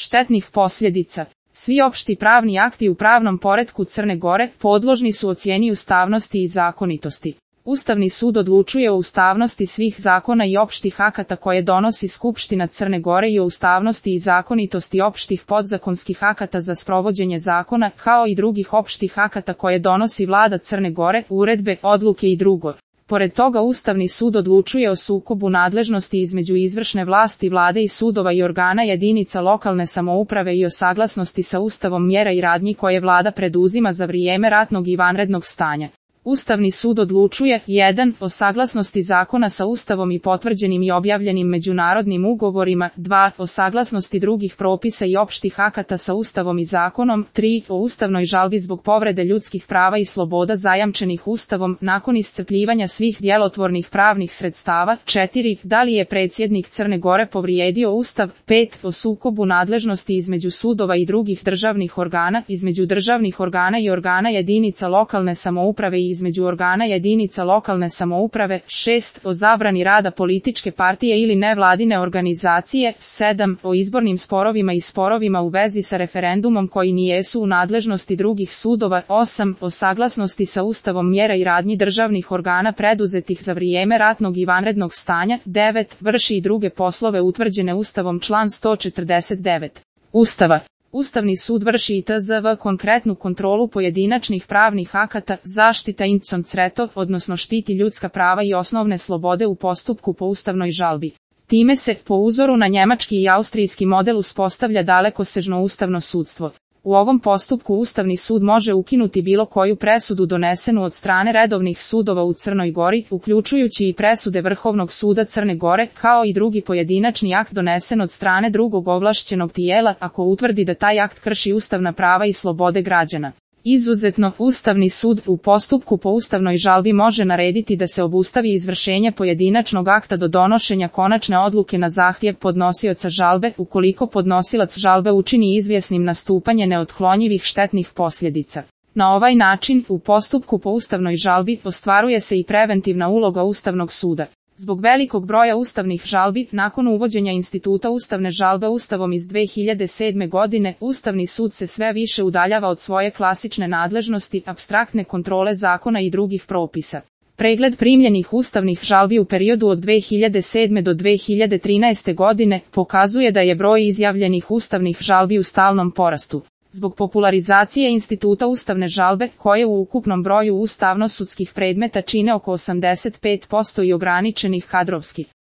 štetnih posljedica. Svi opšti pravni akti u pravnom poretku Crne Gore podložni su ocjeni ustavnosti i zakonitosti. Ustavni sud odlučuje o ustavnosti svih zakona i opštih akata koje donosi Skupština Crne Gore i o ustavnosti i zakonitosti opštih podzakonskih akata za sprovođenje zakona, kao i drugih opštih akata koje donosi vlada Crne Gore, uredbe, odluke i drugo. Pored toga Ustavni sud odlučuje o sukobu nadležnosti između izvršne vlasti vlade i sudova i organa jedinica lokalne samouprave i o saglasnosti sa Ustavom mjera i radnji koje vlada preduzima za vrijeme ratnog i vanrednog stanja. Ustavni sud odlučuje 1. O saglasnosti zakona sa Ustavom i potvrđenim i objavljenim međunarodnim ugovorima, 2. O saglasnosti drugih propisa i opštih akata sa Ustavom i zakonom, 3. O ustavnoj žalbi zbog povrede ljudskih prava i sloboda zajamčenih Ustavom nakon iscrpljivanja svih djelotvornih pravnih sredstava, 4. Da li je predsjednik Crne Gore povrijedio Ustav, 5. O sukobu nadležnosti između sudova i drugih državnih organa, između državnih organa i organa jedinica lokalne samouprave i između organa jedinica lokalne samouprave, 6. O zabrani rada političke partije ili nevladine organizacije, 7. O izbornim sporovima i sporovima u vezi sa referendumom koji nijesu u nadležnosti drugih sudova, 8. O saglasnosti sa Ustavom mjera i radnji državnih organa preduzetih za vrijeme ratnog i vanrednog stanja, 9. Vrši i druge poslove utvrđene Ustavom član 149. Ustava. Ustavni sud vrši i tzv. Konkretnu kontrolu pojedinačnih pravnih akata, zaštita inconsreto, odnosno štiti ljudska prava i osnovne slobode u postupku po ustavnoj žalbi. Time se, po uzoru na njemački i austrijski model, uspostavlja dalekosežno ustavno sudstvo. U ovom postupku Ustavni sud može ukinuti bilo koju presudu donesenu od strane redovnih sudova u Crnoj Gori, uključujući i presude Vrhovnog suda Crne Gore, kao i drugi pojedinačni akt donesen od strane drugog ovlašćenog tijela, ako utvrdi da taj akt krši ustavna prava i slobode građana. Izuzetno, Ustavni sud u postupku po ustavnoj žalbi može narediti da se obustavi izvršenje pojedinačnog akta do donošenja konačne odluke na zahtjev podnosioca žalbe, ukoliko podnosilac žalbe učini izvjesnim nastupanje neotklonjivih štetnih posljedica. Na ovaj način, u postupku po ustavnoj žalbi ostvaruje se i preventivna uloga Ustavnog suda. Zbog velikog broja ustavnih žalbi, nakon uvođenja instituta ustavne žalbe Ustavom iz 2007. godine, Ustavni sud se sve više udaljava od svoje klasične nadležnosti, apstraktne kontrole zakona i drugih propisa. Pregled primljenih ustavnih žalbi u periodu od 2007. do 2013. godine pokazuje da je broj izjavljenih ustavnih žalbi u stalnom porastu. Zbog popularizacije instituta ustavne žalbe, koje u ukupnom broju ustavno-sudskih predmeta čine oko 85% i ograničenih kadrovskih